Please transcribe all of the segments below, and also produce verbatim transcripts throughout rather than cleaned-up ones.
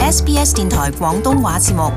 S B S 電台廣東話節目。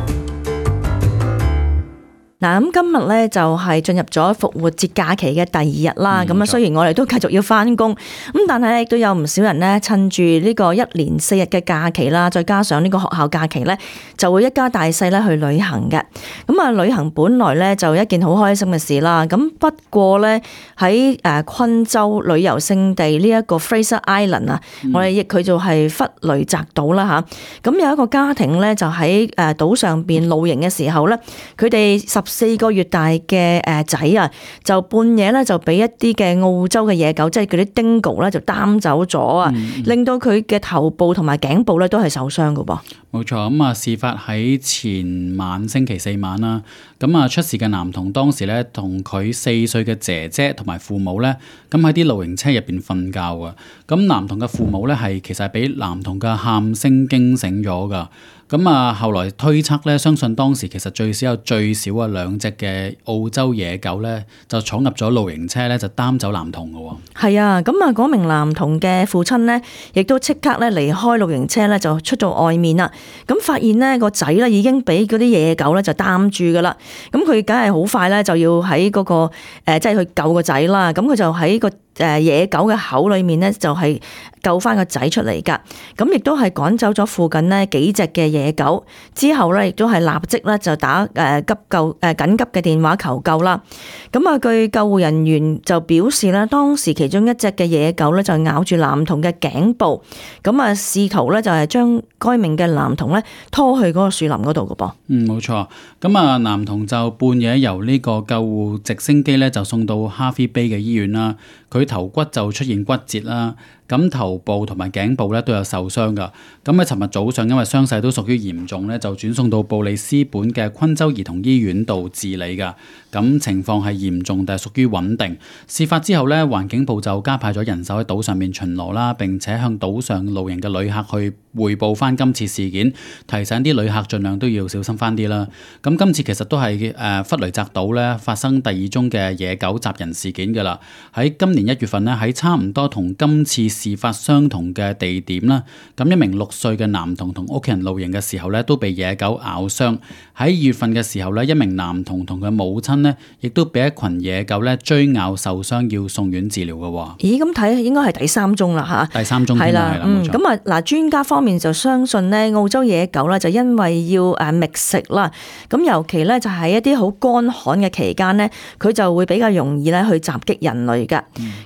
嗱，咁今日咧就係進入咗復活節假期嘅第二日啦。咁啊、嗯，雖然我哋都繼續要翻工，咁但係咧亦都有唔少人咧趁住呢個一連四日嘅假期啦，再加上呢個學校假期咧，就會一家大細咧去旅行嘅。咁啊，旅行本來咧就一件好開心嘅事啦。咁不過咧喺誒昆州旅遊勝地呢一個 Fraser Island 啊、嗯，我哋譯佢就係弗雷澤島啦吓。咁有一個家庭咧就喺誒島上邊露營嘅時候咧，佢哋十四個月大嘅誒仔啊，就半夜咧就俾一啲嘅澳洲嘅野狗，即係嗰啲 dingo 咧就擔走咗啊，嗯、令到佢嘅頭部同埋頸部咧都係受傷噶噃。冇錯，咁啊事發喺前晚星期四晚啦。咁啊出事嘅男童當時咧同佢四歲嘅姐姐同埋父母咧，咁喺啲露營車入邊瞓覺啊。咁男童嘅父母咧係其實係俾男童嘅喊聲驚醒咗噶。咁啊，後來推測咧，相信當時其實最少有最少啊兩隻嘅澳洲野狗咧，就闖入咗露營車咧，就擔走男童嘅喎。係啊，咁啊，嗰名男童嘅父親咧，亦都即刻咧離開露營車咧，就出到外面啦。咁發現呢個仔咧已經俾嗰啲野狗咧就擔住噶啦。咁佢梗係好快咧就要喺嗰個誒，即係去救個仔啦。咁佢就喺個誒野狗嘅口裏面咧，就係救翻個仔出嚟噶。咁亦都係趕走咗附近呢幾隻嘅野狗。之後咧，亦都係立即咧就打誒急救誒緊急嘅電話求救啦。咁啊，據救護人員就表示咧，當時其中一隻嘅野狗咧就咬住男童嘅頸部，咁啊試圖咧就係將該名嘅男童咧拖去嗰個樹林嗰度嘅噃。嗯，冇錯。咁啊，男童就半夜由呢個救護直升機咧就送到哈菲貝嘅醫院啦。佢頭骨就出現骨折啦，咁頭部同埋頸部咧都有受傷噶。咁喺尋日早上，因為傷勢都屬於嚴重咧，就轉送到布里斯本嘅昆州兒童醫院度治理噶。咁情況係嚴重，但係屬於穩定。事發之後咧，環境部就加派咗人手喺島上面巡邏啦，並且向島上露營嘅旅客去匯報翻今次事件，提醒啲旅客盡量都要小心翻啲啦。咁今次其實都係誒弗雷澤島咧發生第二宗嘅野狗襲人事件噶啦。喺今年一月份咧，喺差唔多同今次事發相同嘅地點啦，咁一名六歲嘅男童同屋企人露營嘅時候咧，都被野狗咬傷。喺二月份嘅時候咧，一名男童同佢母親咧，亦都俾一群野狗咧追咬受傷，要送院治療嘅喎。咦，咁睇應該係第三宗啦嚇。第三宗係啦，嗯，咁啊嗱，專家方面就相信咧，澳洲野狗咧就因為要誒覓食啦，咁尤其咧就係一啲好乾旱嘅期間咧，佢就會比較容易咧去襲擊人類㗎。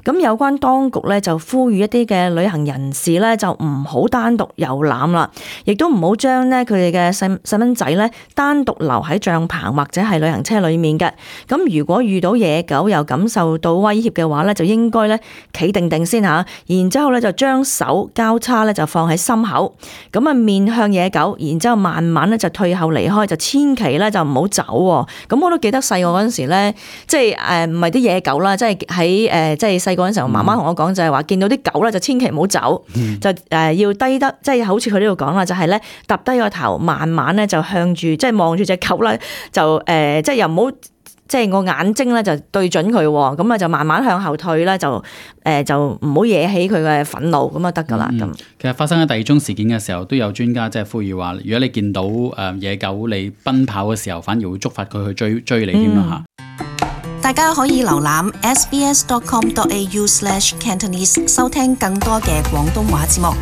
咁、嗯、有關當局咧就呼籲一啲嘅旅行人士咧就唔好單獨遊覽啦，亦都唔好將咧佢哋嘅細細蚊仔咧單獨留喺帳篷或者係旅行車裡面嘅。咁如果遇到野狗又感受到威脅嘅話咧，就應該咧企定定先嚇，然之後咧就將手交叉咧就放喺心口，咁啊面向野狗，然之後慢慢咧就退後離開，就千祈咧就唔好走。咁我都記得細個嗰陣時咧，即係誒唔係啲野狗啦，即係喺誒即係細個嗰陣時候，媽媽同我講就係話見到啲狗咧就千祈唔好走，嗯、就誒要低得，即係好似佢呢度講啦，就係咧揼低個頭，慢慢咧就向住即係望住隻狗啦，就誒即係又唔好。即係個眼睛咧就對準佢，咁啊就慢慢向後退啦，就誒就唔好惹起佢嘅憤怒，咁啊得噶啦咁。其實發生喺第二宗事件嘅時候，都有專家即係呼籲話，如果你見到誒野狗你奔跑嘅時候，反而會觸發佢去追追你添啦嚇。大家可以瀏覽 s b s dot com dot a u slash cantonese 收聽更多嘅廣東話節目。